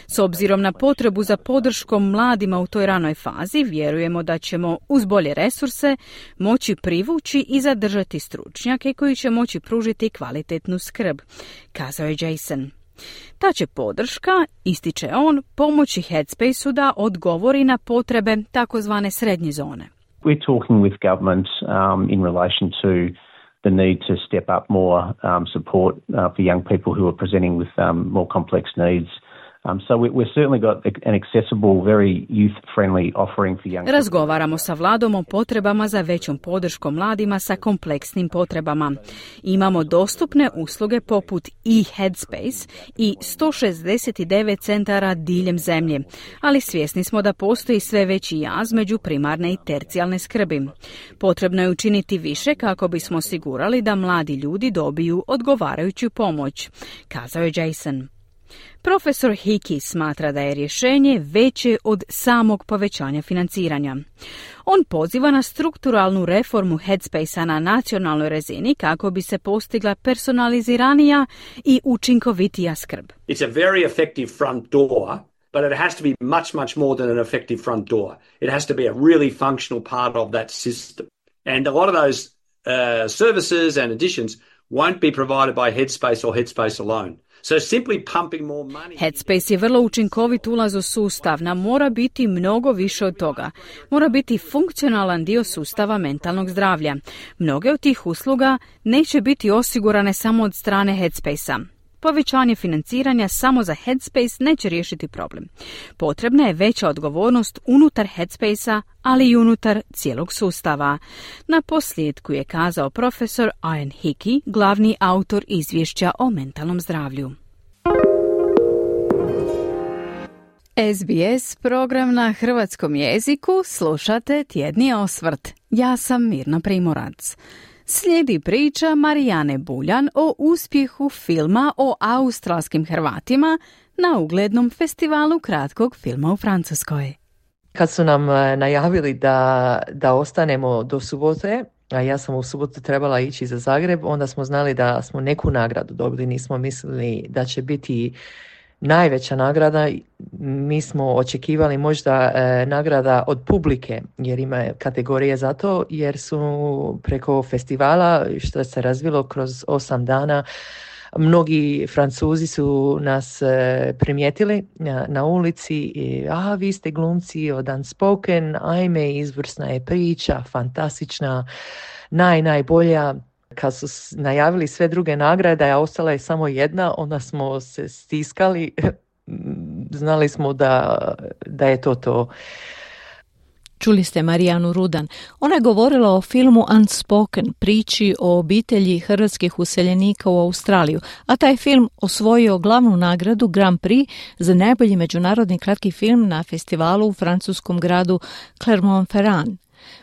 S obzirom na potrebu za podrškom mladima u toj ranoj fazi, vjerujemo da ćemo uz bolje resurse moći privući i zadržati stručnjake koji će moći pružiti kvalitetnu skrb, kazao je Jason. Ta će podrška, ističe on, pomoći Headspaceu da odgovori na potrebe takozvane srednje zone. We're talking with government in relation to the need to step up more support for young people who are presenting with more complex needs. So we've certainly got an accessible, very youth-friendly offering for young people. Razgovaramo sa vladom o potrebama za većom podrškom mladima sa kompleksnim potrebama. Imamo dostupne usluge poput e-Headspace i 169 centara diljem zemlje, ali svjesni smo da postoji sve veći jaz među primarne i tercijalne skrbi. Potrebno je učiniti više kako bismo osigurali da mladi ljudi dobiju odgovarajuću pomoć, kazao je Jason. Profesor Hickey smatra da je rješenje veće od samog povećanja financiranja. On poziva na strukturalnu reformu Headspacea na nacionalnoj razini kako bi se postigla personaliziranija i učinkovitija skrb. It's a very effective front door, but it has to be much, much more than an effective front door. It has to be a really functional part of that system. And a lot of those services and additions won't be provided by Headspace or Headspace alone. So simply pumping more money. Headspace je vrlo učinkovit ulaz u sustav, nam mora biti mnogo više od toga. Mora biti funkcionalan dio sustava mentalnog zdravlja. Mnoge od tih usluga neće biti osigurane samo od strane Headspacea. Povećanje financiranja samo za Headspace neće riješiti problem. Potrebna je veća odgovornost unutar Headspacea, ali i unutar cijelog sustava. Na posljedku je kazao profesor Ian Hickey, glavni autor izvješća o mentalnom zdravlju. SBS program na hrvatskom jeziku, slušate Tjedni osvrt. Ja sam Mirna Primorac. Slijedi priča Marijane Buljan o uspjehu filma o australskim Hrvatima na uglednom festivalu kratkog filma u Francuskoj. Kad su nam najavili da ostanemo do subote, a ja sam u subotu trebala ići za Zagreb, onda smo znali da smo neku nagradu dobili. Nismo mislili da će biti najveća nagrada. Mi smo očekivali možda nagrada od publike, jer ima kategorije za to, jer su preko festivala, što se razvilo kroz 8 dana, mnogi Francuzi su nas primijetili na ulici i vi ste glumci od Unspoken, ajme, izvrsna je priča, fantastična, najbolja. Kad su najavili sve druge nagrade, a ostala je samo jedna, onda smo se stiskali, znali smo da je to. Čuli ste Marijanu Rudan. Ona je govorila o filmu Unspoken, priči o obitelji hrvatskih useljenika u Australiju, a taj film osvojio glavnu nagradu Grand Prix za najbolji međunarodni kratki film na festivalu u francuskom gradu Clermont-Ferrand.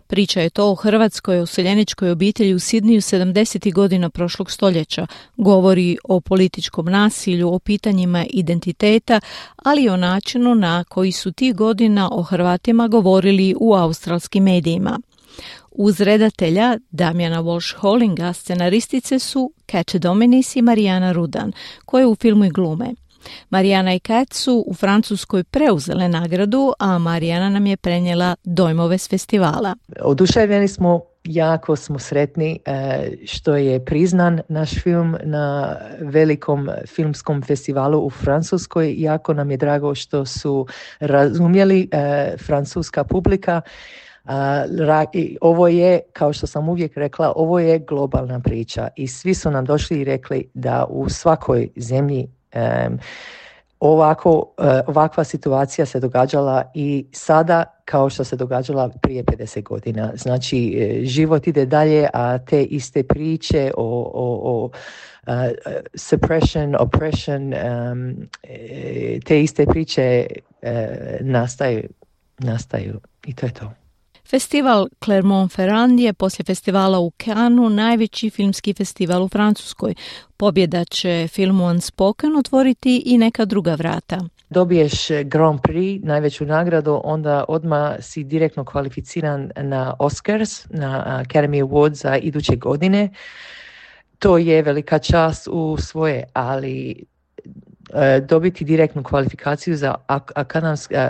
Priča je to o hrvatskoj useljeničkoj obitelji u Sidniju 70. godina prošlog stoljeća. Govori o političkom nasilju, o pitanjima identiteta, ali i o načinu na koji su tih godina o Hrvatima govorili u australskim medijima. Uz redatelja Damjana Walsh-Hollinga scenaristice su Kat Dominis i Marijana Rudan, koje u filmu i glume. Marijana i Kat su u Francuskoj preuzele nagradu, a Marijana nam je prenijela dojmove s festivala. Oduševljeni smo, jako smo sretni što je priznan naš film na velikom filmskom festivalu u Francuskoj. Jako nam je drago što su razumjeli francuska publika. Ovo je, kao što sam uvijek rekla, ovo je globalna priča i svi su nam došli i rekli da u svakoj zemlji ovakva situacija se događala i sada kao što se događala prije 50 godina. Znači, život ide dalje, a te iste priče o suppression, oppression, te iste priče nastaju i to je to. Festival Clermont-Ferrand je poslije festivala u Cannesu najveći filmski festival u Francuskoj. Pobjeda će filmu Unspoken otvoriti i neka druga vrata. Dobiješ Grand Prix, najveću nagradu, onda odmah si direktno kvalificiran na Oscars, na Academy Awards za iduće godine. To je velika čast u svoje, ali dobiti direktnu kvalifikaciju za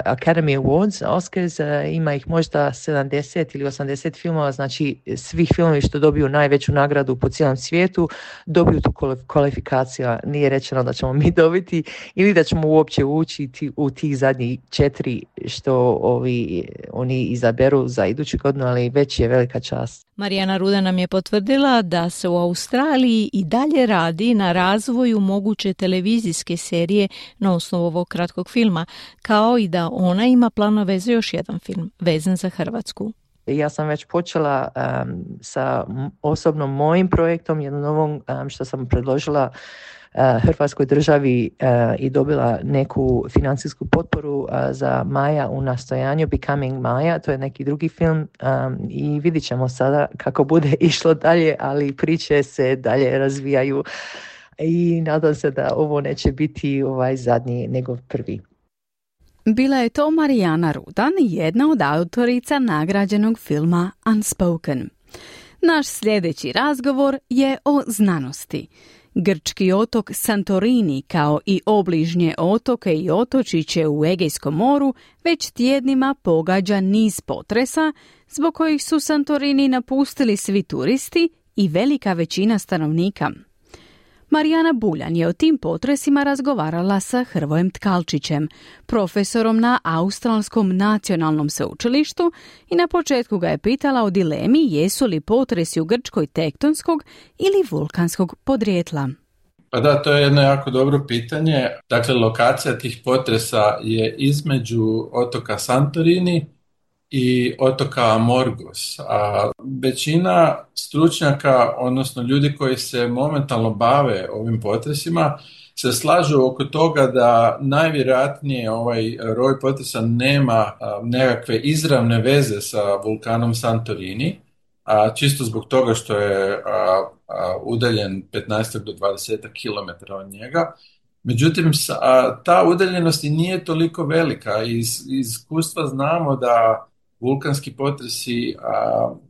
Academy Awards, Oscars, ima ih možda 70 ili 80 filmova, znači svih filmovi što dobiju najveću nagradu po cijelom svijetu dobiju tu kvalifikaciju. Nije rečeno da ćemo mi dobiti ili da ćemo uopće ući u tih zadnjih 4 što oni izaberu za iduću godinu, ali već je velika čast. Marijana Ruda nam je potvrdila da se u Australiji i dalje radi na razvoju moguće televizijske serije na osnovu ovog kratkog filma, kao i da ona ima planove za još jedan film vezan za Hrvatsku. Ja sam već počela sa osobnom mojim projektom, jednom novom što sam predložila Hrvatskoj državi i dobila neku financijsku potporu za Maja u nastojanju, Becoming Maja, to je neki drugi film i vidit ćemo sada kako bude išlo dalje, ali priče se dalje razvijaju i nadam se da ovo neće biti zadnji nego prvi. Bila je to Marijana Rudan, jedna od autorica nagrađenog filma Unspoken. Naš sljedeći razgovor je o znanosti. Grčki otok Santorini, kao i obližnje otoke i otočiće u Egejskom moru, već tjednima pogađa niz potresa, zbog kojih su Santorini napustili svi turisti i velika većina stanovnika. Marijana Buljan je o tim potresima razgovarala sa Hrvojem Tkalčićem, profesorom na Australskom nacionalnom sveučilištu, i na početku ga je pitala o dilemi jesu li potresi u Grčkoj tektonskog ili vulkanskog podrijetla. Pa da, to je jedno jako dobro pitanje. Dakle, lokacija tih potresa je između otoka Santorini i otoka Amorgos. A većina stručnjaka, odnosno ljudi koji se momentalno bave ovim potresima, se slažu oko toga da najvjerojatnije ovaj roj potresa nema nekakve izravne veze sa vulkanom Santorini, čisto zbog toga što je udaljen 15 do 20 km od njega. Međutim, ta udaljenost i nije toliko velika. Iz iskustva znamo da vulkanski potresi,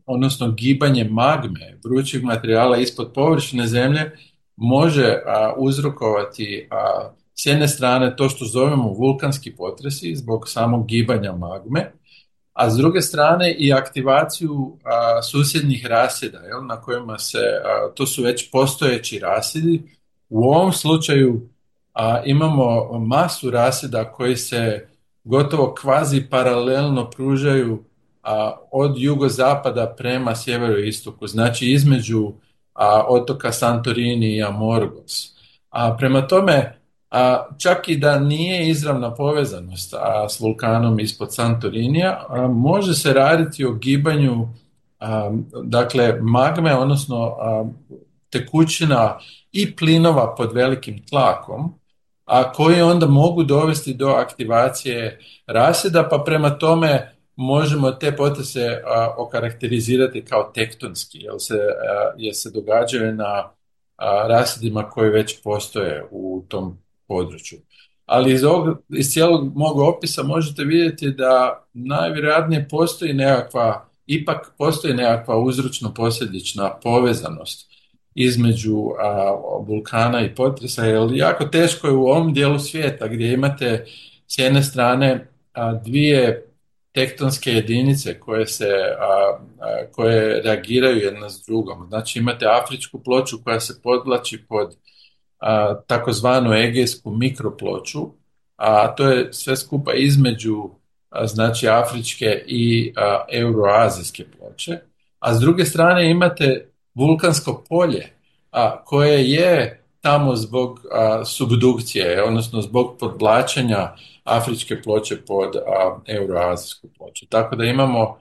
odnosno gibanje magme, vrućeg materijala ispod površine zemlje, može uzrokovati s jedne strane to što zovemo vulkanski potresi zbog samog gibanja magme, a s druge strane i aktivaciju susjednih rasjeda, na kojima se, to su već postojeći rasjedi. U ovom slučaju imamo masu rasjeda koji se gotovo kvazi paralelno pružaju od jugozapada prema sjeveroistoku, znači između otoka Santorini i Amorgos. Prema tome, čak i da nije izravna povezanost s vulkanom ispod Santorinija, može se raditi o gibanju dakle magme, odnosno tekućina i plinova pod velikim tlakom, koji onda mogu dovesti do aktivacije rasjeda, pa prema tome možemo te potrese okarakterizirati kao tektonski, jer se događaju na rasjedima koji već postoje u tom području. Ali iz cijelog mog opisa možete vidjeti da najvjerojatnije ipak postoji nekakva uzročno-posljedična povezanost između vulkana i potresa, jer jako teško je u ovom dijelu svijeta gdje imate s jedne strane dvije tektonske jedinice koje reagiraju jedna s drugom. Znači imate afričku ploču koja se podvlači pod takozvanu egejsku mikroploču, a to je sve skupa između znači afričke i euroazijske ploče, a s druge strane imate vulkansko polje koje je tamo zbog subdukcije, odnosno zbog podvlačenja afričke ploče pod euroazijsku ploču. Tako da imamo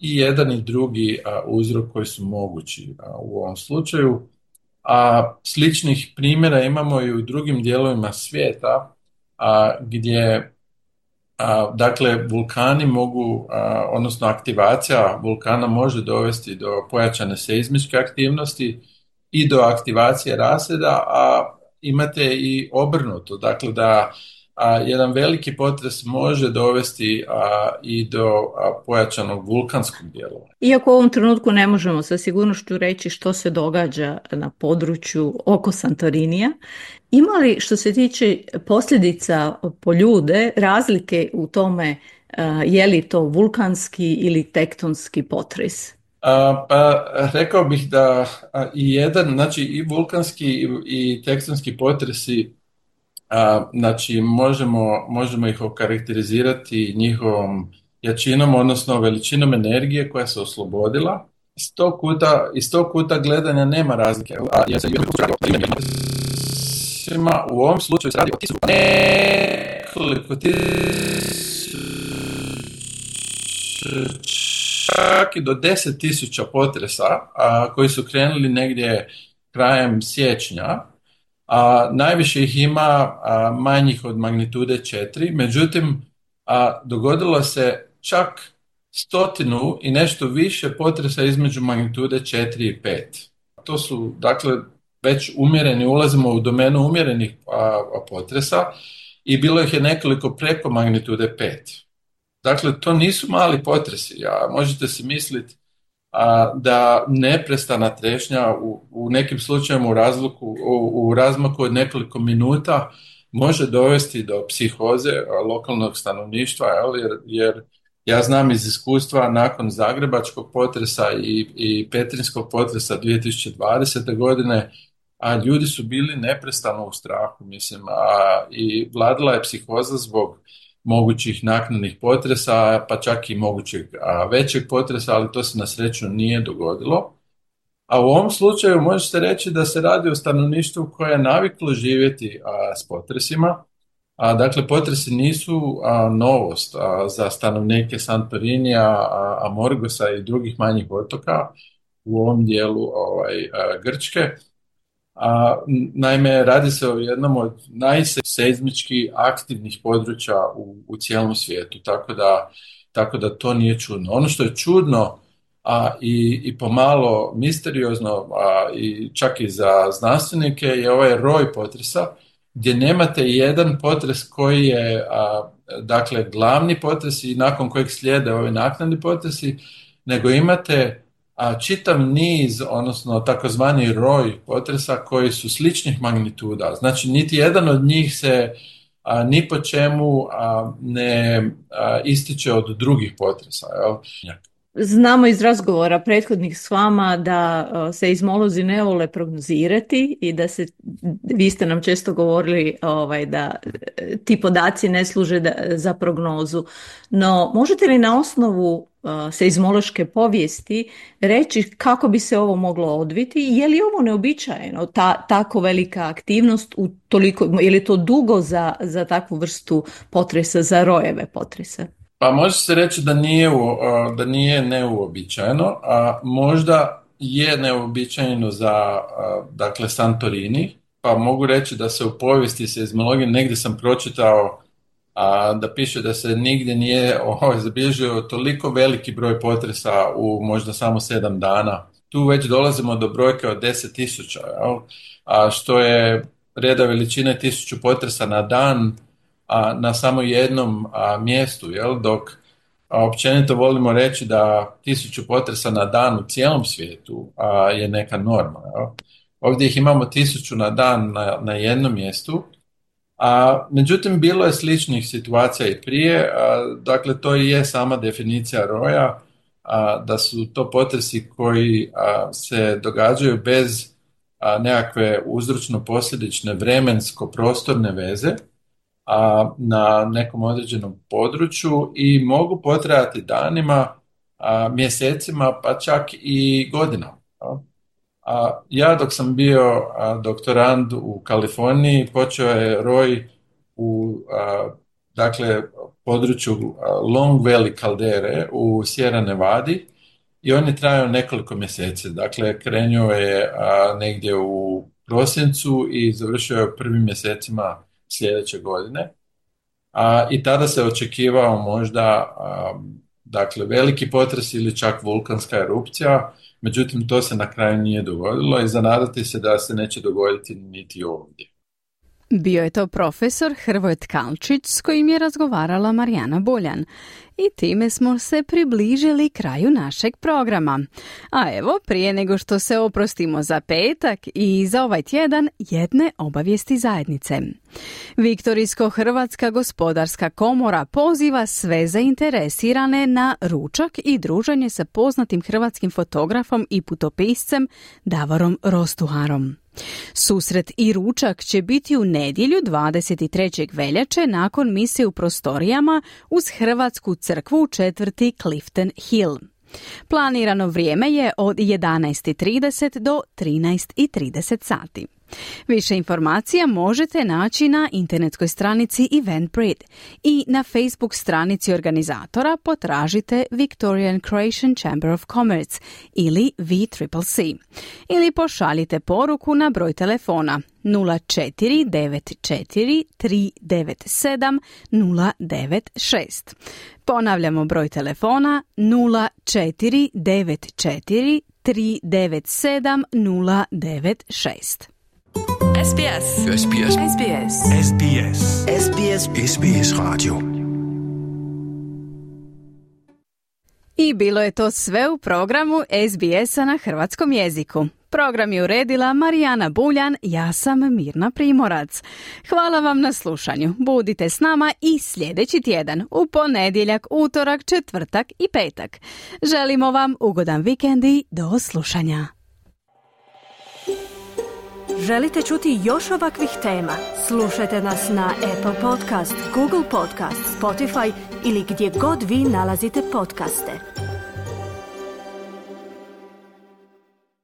i jedan i drugi uzrok koji su mogući u ovom slučaju. Sličnih primjera imamo i u drugim dijelovima svijeta gdje Dakle, vulkani mogu, odnosno aktivacija vulkana može dovesti do pojačane seizmičke aktivnosti i do aktivacije raseda, a imate i obrnuto, dakle da jedan veliki potres može dovesti i do pojačanog vulkanskog djelovanja. Iako u ovom trenutku ne možemo sa sigurnošću reći što se događa na području oko Santorinija, ima li što se tiče posljedica po ljude razlike u tome je li to vulkanski ili tektonski potres? Pa rekao bih da znači i vulkanski i tektonski potresi, znači možemo ih okarakterizirati njihovom jačinom, odnosno veličinom energije koja se oslobodila. Iz tog kuta gledanja nema razlike. U ovom slučaju se radi o nekoliko čak i do 10.000 potresa koji su krenuli negdje krajem siječnja. Najviše ih ima manjih od magnitude 4, međutim dogodilo se čak 100 i nešto više potresa između magnitude 4 i 5. To su dakle već umjereni, ulazimo u domenu umjerenih potresa i bilo ih je nekoliko preko magnitude 5. Dakle, to nisu mali potresi, možete si misliti da neprestana trešnja u nekim slučajevima u razmaku od nekoliko minuta može dovesti do psihoze lokalnog stanovništva, jer ja znam iz iskustva nakon zagrebačkog potresa i petrinjskog potresa 2020. godine, ljudi su bili neprestano u strahu, i vladala je psihoza zbog mogućih naknadnih potresa, pa čak i mogućeg većeg potresa, ali to se na sreću nije dogodilo. A u ovom slučaju možete reći da se radi o stanovništvu koje je naviklo živjeti s potresima. Dakle, potresi nisu novost za stanovnike Santorinija, Amorgosa i drugih manjih otoka u ovom dijelu Grčke. Naime, radi se o jednom od najseizmički aktivnih područja u cijelom svijetu, tako da to nije čudno. Ono što je čudno i pomalo misteriozno, i čak i za znanstvenike, je ovaj roj potresa, gdje nemate jedan potres koji je dakle glavni potres i nakon kojeg slijede ovi naknadni potresi, nego imate čitav niz, odnosno takozvani roj potresa koji su sličnih magnituda. Znači, niti jedan od njih se ni po čemu ne ističe od drugih potresa. Znamo iz razgovora prethodnih s vama da seizmolozi ne vole prognozirati i da vi ste nam često govorili da ti podaci ne služe za prognozu. No, možete li na osnovu seizmološke povijesti reći kako bi se ovo moglo odviti? Je li ovo neobičajeno, tako velika aktivnost, je li to dugo za takvu vrstu potresa, za rojeve potresa? Pa može se reći da nije neuobičajeno, a možda je neuobičajeno za dakle Santorini, pa mogu reći da se u povijesti seizmologije, negdje sam pročitao da piše da se nigdje nije zabilježio toliko veliki broj potresa u možda samo 7 dana. Tu već dolazimo do brojke od 10.000, što je reda veličine 1000 potresa na dan, na samo jednom mjestu, dok općenito volimo reći da 1000 potresa na dan u cijelom svijetu je neka norma. Ovdje ih imamo 1000 na dan na jednom mjestu, međutim bilo je sličnih situacija i prije, dakle to i je sama definicija roja, da su to potresi koji se događaju bez nekakve uzročno-posljedične vremensko-prostorne veze na nekom određenom području i mogu potrajati danima, mjesecima, pa čak i godinama. Ja dok sam bio doktorand u Kaliforniji, počeo je roj u dakle, području Long Valley kaldere u Sierra Nevadi i on je trajao nekoliko mjeseci. Dakle, krenuo je negdje u prosincu i završio je prvim mjesecima sljedeće godine. I tada se očekivao možda dakle veliki potres ili čak vulkanska erupcija, međutim to se na kraju nije dogodilo i zanadati se da se neće dogoditi niti ovdje. Bio je to profesor Hrvoje Tkalčić s kojim je razgovarala Marijana Buljan. I time smo se približili kraju našeg programa. A evo, prije nego što se oprostimo za petak i za ovaj tjedan, jedne obavijesti zajednice. Viktorijsko-Hrvatska gospodarska komora poziva sve zainteresirane na ručak i druženje sa poznatim hrvatskim fotografom i putopiscem Davorom Rostuharom. Susret i ručak će biti u nedjelju 23. veljače nakon mise u prostorijama uz Hrvatsku crkvu u četvrti Clifton Hill. Planirano vrijeme je od 11:30 do 13:30 sati. Više informacija možete naći na internetskoj stranici Eventbrite i na Facebook stranici organizatora potražite Victorian Croatian Chamber of Commerce ili VCCC ili pošaljite poruku na broj telefona 0494 397 096. Ponavljamo broj telefona 0494 397 096. SBS. SBS. SBS. SBS. SBS. SBS Radio. I bilo je to sve u programu SBS-a na hrvatskom jeziku. Program je uredila Marijana Buljan, ja sam Mirna Primorac. Hvala vam na slušanju. Budite s nama i sljedeći tjedan, u ponedjeljak, utorak, četvrtak i petak. Želimo vam ugodan vikend i do slušanja. Želite čuti još ovakvih tema? Slušajte nas na Apple Podcast, Google Podcast, Spotify ili gdje god vi nalazite podcaste.